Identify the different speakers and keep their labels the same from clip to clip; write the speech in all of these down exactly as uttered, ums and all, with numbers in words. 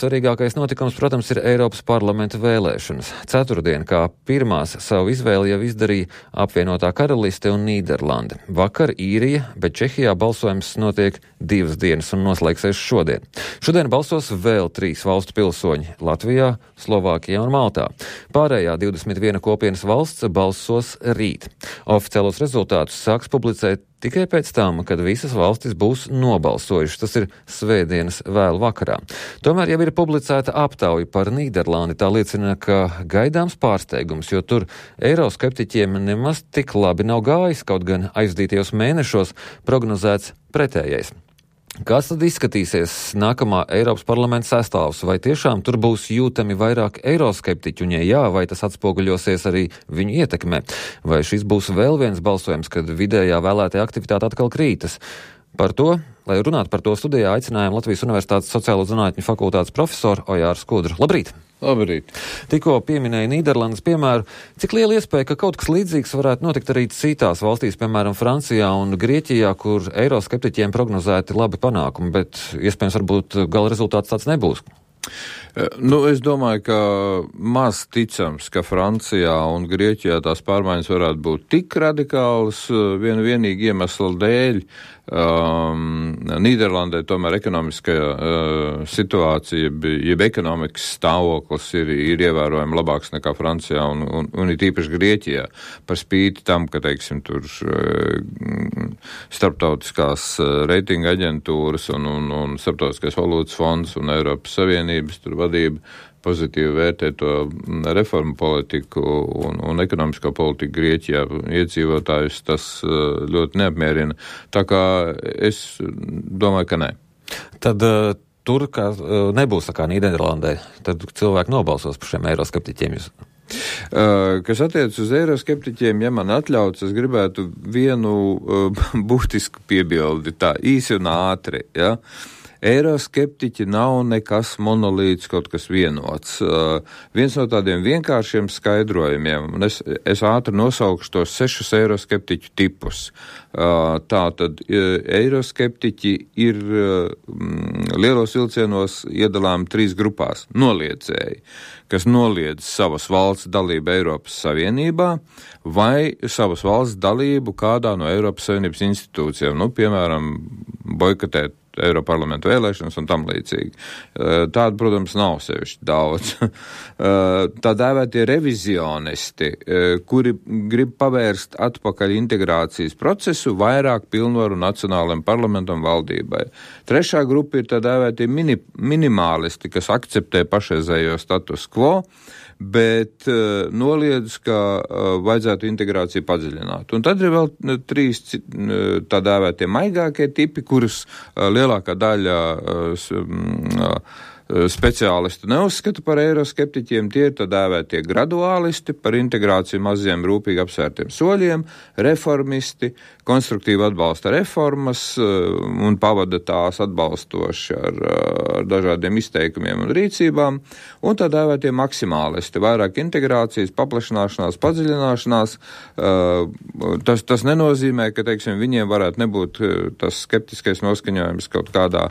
Speaker 1: Svarīgākais notikums, protams, ir Eiropas parlamenta vēlēšanas. Ceturtdien, kā pirmās savu izvēli jau izdarīja apvienotā karaliste un Nīderlande. Vakar Īrija, bet Čehijā balsojums notiek divas dienas un noslēgsies šodien. Šodien balsos vēl trīs valstu pilsoņi - Latvijā, Slovākijā un Maltā. Pārējā divdesmit viena kopienas valsts balsos rīt. Oficiālos rezultātus sāks publicēt tikai pēc tam, kad visas valstis būs nobalsojušas. Tas ir svētdienas vēlu vakarā. Tomēr jau ir publicēta aptauja par Nīderlandi. Tā liecina, ka gaidāms pārsteigums, jo tur eiroskeptiķiem nemaz tik labi nav gājis, kaut gan aizdītajos mēnešos prognozēts pretējais. Kas tad izskatīsies nākamā Eiropas parlamenta sastāvs? Vai tiešām tur būs jūtami vairāk eiroskeptiķu, un ja jā, vai tas atspoguļosies arī viņu ietekmē? Vai šis būs vēl viens balsojums, kad vidējā vēlētajā aktivitāte atkal krītas? Par to, lai runātu par to studijā, aicinājām Latvijas Universitātes sociālo zinātņu fakultātes profesoru Ojāru Skudru. Labrīt!
Speaker 2: Labrīt!
Speaker 1: Tikko pieminēja Nīderlandes piemēru. Cik liela iespēja, ka kaut kas līdzīgs varētu notikt arī citās valstīs, piemēram, Francijā un Grieķijā, kur eiroskeptiķiem prognozēti labi panākumi, bet iespējams varbūt gala rezultāts tāds nebūs?
Speaker 2: Nu, es domāju, ka maz ticams, ka Francijā un Grieķijā tās pārmaiņas varētu būt tik radikālas vienu vienīgi iemeslu dēļ. Um, Nīderlandē tomēr ekonomiskajā uh, situācija, jeb ekonomikas stāvoklis ir, ir ievērojami labāks nekā Francijā un, un, un ir tīpaši Grieķijā. Par spīti tam, ka, teiksim, tur uh, starptautiskās uh, reitinga aģentūras un, un, un starptautiskais valūtas fonds un Eiropas Savienības tur vadība pozitīvi vērtē to reformu politiku un, un ekonomisko politiku Grieķijā. Iedzīvotājus tas ļoti neapmierina. Tā kā es domāju, ka nē.
Speaker 1: Tad uh, tur kā, uh, nebūs tā kā Nīderlandē. Tad cilvēki nobalsos par šiem eiroskeptiķiem. Jūs...
Speaker 2: Uh, kas attiec uz eiroskeptiķiem, ja man atļauts, es gribētu vienu uh, būtisku piebildi, tā īsi un ātri, ja? Eiroskeptiķi nav nekas monolīts, kaut kas vienots. Uh, viens no tādiem vienkāršiem skaidrojumiem, un es, es ātri nosaukšu tos sešus eiroskeptiķu tipus. Uh, Tātad uh, eiroskeptiķi ir uh, lielos vilcienos iedalām trīs grupās. Noliedzēji, kas noliedz savas valsts dalību Eiropas Savienībā vai savas valsts dalību kādā no Eiropas Savienības institūcijām, nu, piemēram, boikotēt Eiroparlamentu vēlēšanas un tam līdzīgi. Tāda, protams, nav sevišķi daudz. Tā dēvētie revizionisti, kuri grib pavērst atpakaļ integrācijas procesu vairāk pilnvaru nacionālajiem parlamentam valdībai. Trešā grupa ir tā dēvētie mini, minimālisti, kas akceptē pašreizējo status quo, bet uh, noliedz, ka uh, vajadzētu integrāciju padziļināt. Un tad ir vēl uh, trīs uh, tā dēvētie maigākie tipi, kurus uh, lielākā daļa uh, uh, speciālistu neuzskata par eiroskeptiķiem. Tie ir tā dēvētie graduālisti, par integrāciju maziem rūpīgi apsvērtiem soļiem, reformisti, konstruktīvi atbalsta reformas un pavada tās atbalstoši ar, ar dažādiem izteikumiem un rīcībām, un tā dēvētie maksimālisti, vairāk integrācijas, paplašināšanās, padziļināšanās. Tas, tas nenozīmē, ka, teiksim, viņiem varētu nebūt tas skeptiskais noskaņojums kaut kādā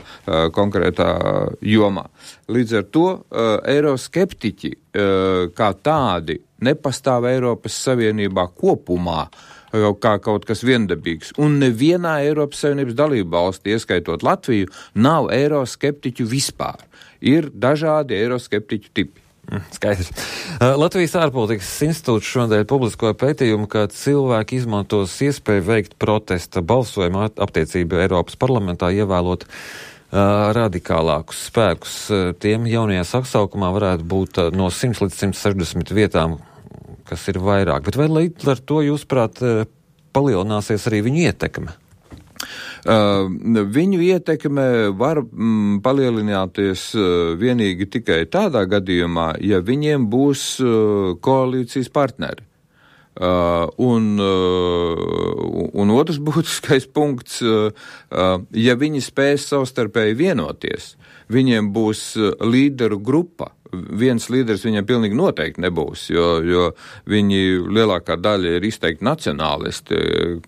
Speaker 2: konkrētā jomā. Līdz ar to uh, eiroskeptiķi uh, kā tādi nepastāv Eiropas Savienībā kopumā, uh, kā kaut kas viendabīgs. Un nevienā Eiropas Savienības dalību valstī, ieskaitot Latviju, nav eiroskeptiķu vispār. Ir dažādi eiroskeptiķu tipi.
Speaker 1: Skaidrs. Latvijas ārpolitikas institūts šodien publiskoja pētījumu, ka cilvēki izmantos iespēju veikt protesta balsojumu attiecību Eiropas parlamentā, ievēlot uh, radikālākus spēkus. Tiem jaunajā sasaukumā varētu būt no simts līdz simt sešdesmit vietām, kas ir vairāk. Bet vai līdz ar to, jūsuprāt, palielināsies arī viņu ietekme?
Speaker 2: Uh, viņu ietekme var mm, palielināties uh, vienīgi tikai tādā gadījumā, ja viņiem būs uh, koalīcijas partneri. Uh, un, uh, un otrs būtiskais punkts, uh, uh, ja viņi spēs savstarpēji vienoties, viņiem būs uh, līderu grupa. Viens līderis viņam pilnīgi noteikti nebūs, jo, jo viņi lielākā daļa ir izteikti nacionālisti,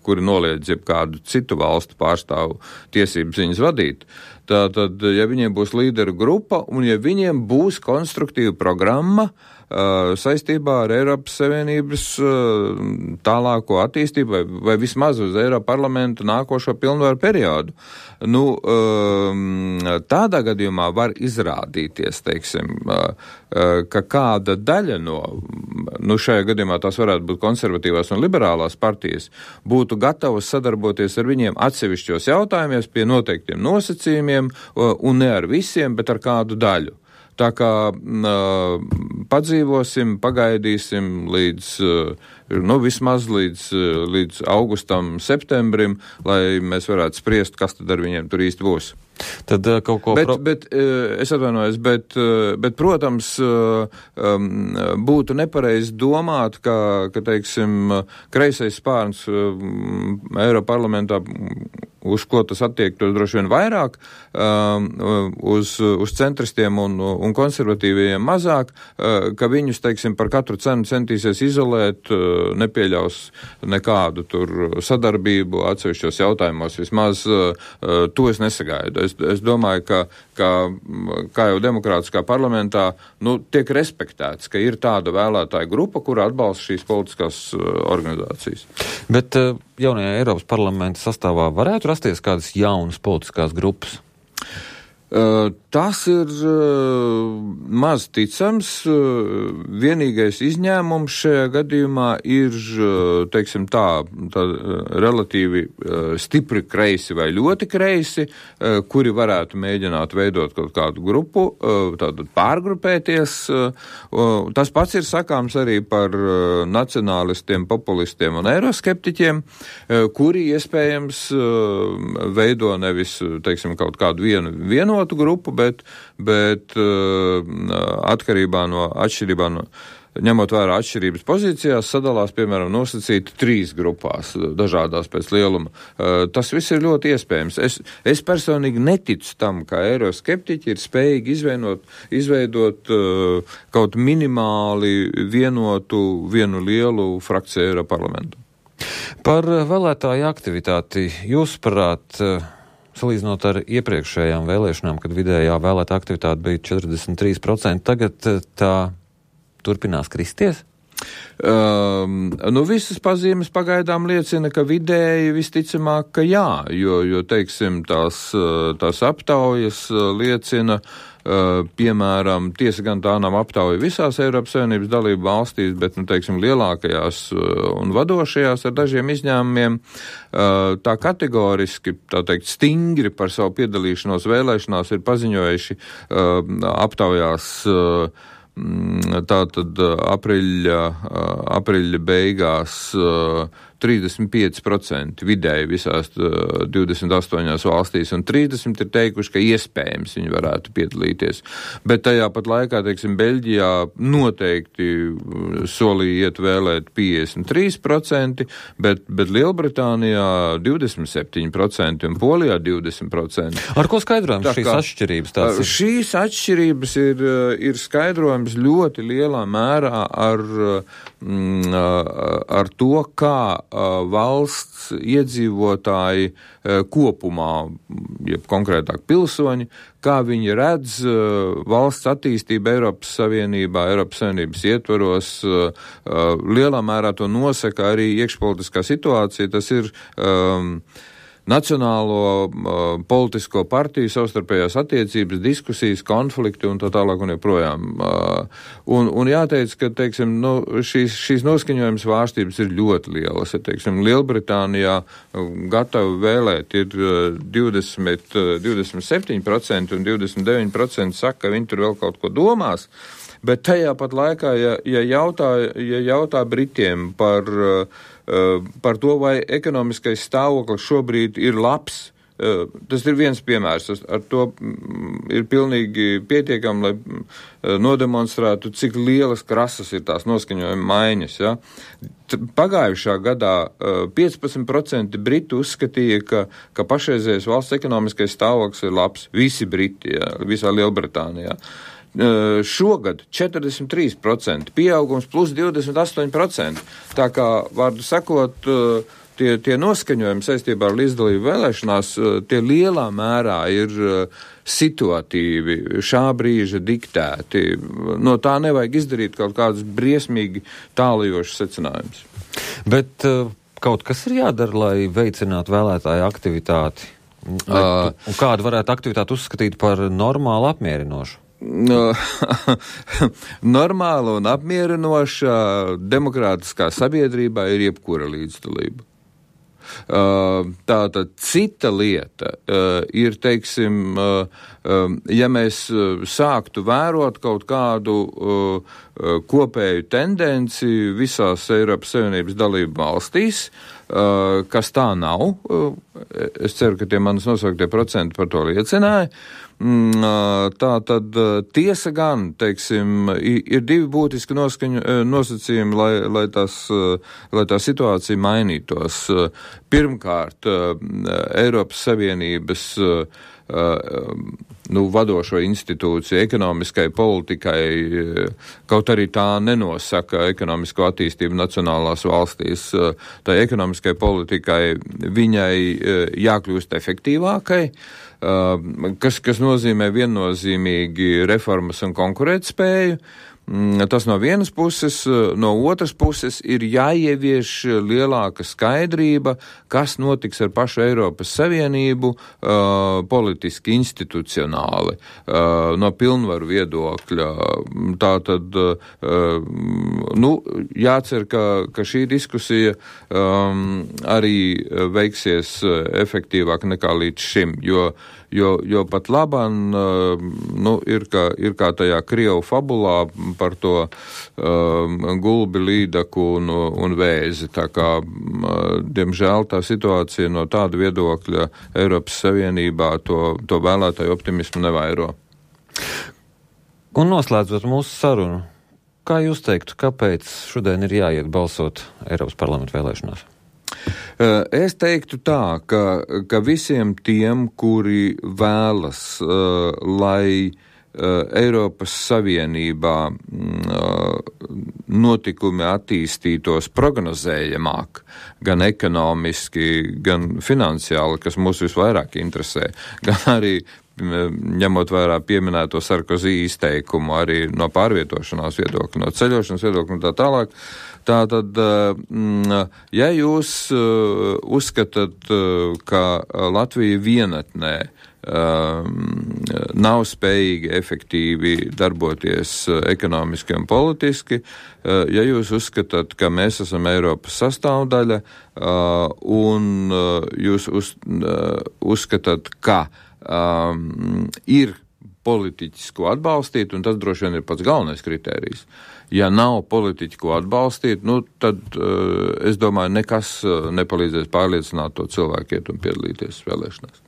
Speaker 2: kuri noliedz jeb kādu citu valstu pārstāvu tiesības viņus vadīt. Tātad, ja viņiem būs līderu grupa un ja viņiem būs konstruktīva programma uh, saistībā ar Eiropas Savienības uh, tālāko attīstību vai, vai vismaz uz Eiropa parlamenta nākošo pilnvaru periodu. Nu, uh, tādā gadījumā var izrādīties, teiksim, uh, uh, ka kāda daļa no, nu šajā gadījumā tās varētu būt konservatīvās un liberālās partijas, būtu gatavas sadarboties ar viņiem atsevišķos jautājumos pie noteiktiem nosacījumiem un ne ar visiem, bet ar kādu daļu. Tā kā uh, padzīvosim, pagaidīsim līdz, uh, nu, vismaz līdz, uh, līdz augustam, septembrim, lai mēs varētu spriest, kas tad ar viņiem tur īsti būs.
Speaker 1: Tad uh, kaut ko...
Speaker 2: Bet,
Speaker 1: Pro...
Speaker 2: bet uh, es atvainojos, bet, uh, bet protams, uh, um, būtu nepareizi domāt, ka, ka teiksim, kreisais spārns uh, Eiroparlamentā, uz ko tas attiektos droši vien vairāk, um, uz, uz centristiem un, un konservatīviem mazāk, uh, ka viņus, teiksim, par katru cenu centīsies izolēt, uh, nepieļaus nekādu tur sadarbību atsevišķos jautājumos, vismaz uh, to es nesagaidu. Es, es domāju, ka, ka, kā jau demokrātiskā parlamentā, nu, tiek respektēts, ka ir tāda vēlētāja grupa, kura atbalsta šīs politiskās uh, organizācijas.
Speaker 1: Bet uh, jaunajā Eiropas parlamenta sastāvā varētu rasties kādas jaunas politiskās grupas?
Speaker 2: Uh, tas ir uh, maz ticams. Uh, vienīgais izņēmums šajā gadījumā ir, uh, teiksim tā, tā uh, relatīvi uh, stipri kreisi vai ļoti kreisi, uh, kuri varētu mēģināt veidot kaut kādu grupu, uh, tātad pārgrupēties. Uh, uh, tas pats ir sakāms arī par uh, nacionālistiem, populistiem un eiroskeptiķiem, uh, kuri iespējams uh, veido nevis, teiksim, kaut kādu vienu vienotu grupu, bet, bet uh, atkarībā no atšķirībā no, ņemot vērā atšķirības pozīcijās, sadalās, piemēram, nosacīti trīs grupās, dažādās pēc lieluma. Uh, tas viss ir ļoti iespējams. Es, es personīgi neticu tam, ka eiroskeptiķi ir spējīgi izveidot, izveidot uh, kaut minimāli vienotu, vienu lielu frakciju Eiroparlamentu.
Speaker 1: Par vēlētāju aktivitāti jūsuprāt, salīdzinot ar iepriekšējām vēlēšanām, kad vidējā vēlētā aktivitāte bija četrdesmit trīs procenti, tagad tā turpinās kristies?
Speaker 2: Um, nu, visas pazīmes pagaidām liecina, ka vidēji visticamāk, ka jā, jo, jo teiksim, tās, tās aptaujas liecina, uh, piemēram, tiesa gan tā nav aptauja visās Eiropas Savienības dalību valstīs, bet, nu, teiksim, lielākajās un vadošajās ar dažiem izņēmumiem, uh, tā kategoriski, tā teikt, stingri par savu piedalīšanos vēlēšanās ir paziņojuši uh, aptaujās uh, tātad apriļa, apriļa beigās trīsdesmit pieci procenti vidēji visās divdesmit astoņās valstīs, un trīsdesmit ir teikuši, ka iespējams viņi varētu piedalīties. Bet tajā pat laikā, teiksim, Beļģijā noteikti solīja iet vēlēt piecdesmit trīs procenti, bet, bet Lielbritānijā divdesmit septiņi procenti un Polijā divdesmit procenti.
Speaker 1: Ar ko skaidrojam
Speaker 2: Tā
Speaker 1: šīs
Speaker 2: kā,
Speaker 1: atšķirības? Tās ir?
Speaker 2: Šīs atšķirības ir, ir skaidrojams ļoti lielā mērā ar, ar to, kā valsts iedzīvotāji kopumā, jeb konkrētāk pilsoņi, kā viņi redz valsts attīstību Eiropas Savienībā, Eiropas Savienības ietvaros, lielā mērā to nosaka arī iekšpolitiskā situācija. Tas ir um, nacionālo uh, politisko partiju savstarpējās attiecības, diskusijas, konflikti un tā tālāk un joprojām. Uh, un, un jāteic, ka, teiksim, nu, šīs, šīs noskaņojums vārstības ir ļoti lielas. Ja, teiksim, Lielbritānijā uh, gatavi vēlēt ir uh, divdesmit, uh, divdesmit septiņi procenti un divdesmit deviņi procenti saka, ka viņi tur vēl kaut ko domās. Bet tajā pat laikā, ja, ja, jautā, ja jautā Britiem par, uh, par to, vai ekonomiskais stāvoklis šobrīd ir labs, uh, tas ir viens piemērs. Ar to ir pilnīgi pietiekami, lai uh, nodemonstrētu, cik lielas krasas ir tās noskaņojuma maiņas. Ja? Pagājušā gadā uh, piecpadsmit procenti Britu uzskatīja, ka, ka pašreizējais valsts ekonomiskais stāvoklis ir labs. Visi Briti, ja, visā Lielbritānijā. Uh, šogad četrdesmit trīs procenti, pieaugums plus divdesmit astoņi procenti. Tā kā, vārdu sakot, uh, tie, tie noskaņojumi saistībā ar līdzdalību vēlēšanās, tie lielā mērā ir situatīvi, šā brīža diktēti. No tā nevajag izdarīt kaut kādus briesmīgi tālajošus secinājumus. Bet uh, kaut kas ir jādara, lai veicinātu vēlētāju aktivitāti? Uh, un kādu varētu aktivitāti uzskatīt par normālu apmierinošu? Normāla un apmierinoša demokrātiskā sabiedrībā ir jebkura līdzdalība. Tātad cita lieta ir, teiksim, ja mēs sāktu vērot kaut kādu kopēju tendenci visās Eiropas Savienības dalību valstīs, kas tā nav, es ceru, ka tie manas nosauktie procenti par to liecināja. Tā tad tiesa gan, teiksim, ir divi būtiski noskaņu, nosacījumi, lai, lai, tās, lai tā situācija mainītos. Pirmkārt, Eiropas Savienības nu, vadošo institūciju ekonomiskai politikai, kaut arī tā nenosaka ekonomisko attīstību nacionālās valstīs, tai ekonomiskai politikai viņai jākļūst efektīvākai, kas, kas nozīmē viennozīmīgi reformas un konkurētspēju. Tas no vienas puses, no otras puses ir jāievieš lielāka skaidrība, kas notiks ar pašu Eiropas Savienību uh, politiski, institucionāli, uh, no pilnvaru viedokļa. Tā tad, uh, nu, jācer, ka, ka šī diskusija um, arī veiksies efektīvāk nekā līdz šim, jo Jo, jo pat labāk nu, ir, kā, ir kā tajā Krievu fabulā par to um, gulbi, līdaku un, un vēzi. Tā kā, diemžēl, tā situācija no tāda viedokļa Eiropas Savienībā to, to vēlētāju optimismu nevairo.
Speaker 1: Un noslēdzot mūsu sarunu, kā jūs teiktu, kāpēc šodien ir jāiet balsot Eiropas parlamenta vēlēšanās?
Speaker 2: Es teiktu tā, ka, ka visiem tiem, kuri vēlas, uh, lai uh, Eiropas Savienībā uh, notikumi attīstītos prognozējamāk, gan ekonomiski, gan finansiāli, kas mūs visvairāk interesē, gan arī ņemot vērā pieminēto Sarkozy izteikumu, arī no pārvietošanās viedokļa, no ceļošanas viedokļa un tā tālāk. Tātad, ja jūs uzskatāt, ka Latvija vienatnē nav spējīgi efektīvi darboties ekonomiski un politiski, ja jūs uzskatāt, ka mēs esam Eiropas sastāvdaļa un jūs uz, uzskatāt, ka um, ir politiķis, ko atbalstīt, un tas droši vien ir pats galvenais kritērijs. Ja nav politiķi, ko atbalstīt, nu, tad uh, es domāju, nekas uh, nepalīdzēs pārliecināt to cilvēku iet un piedalīties vēlēšanās.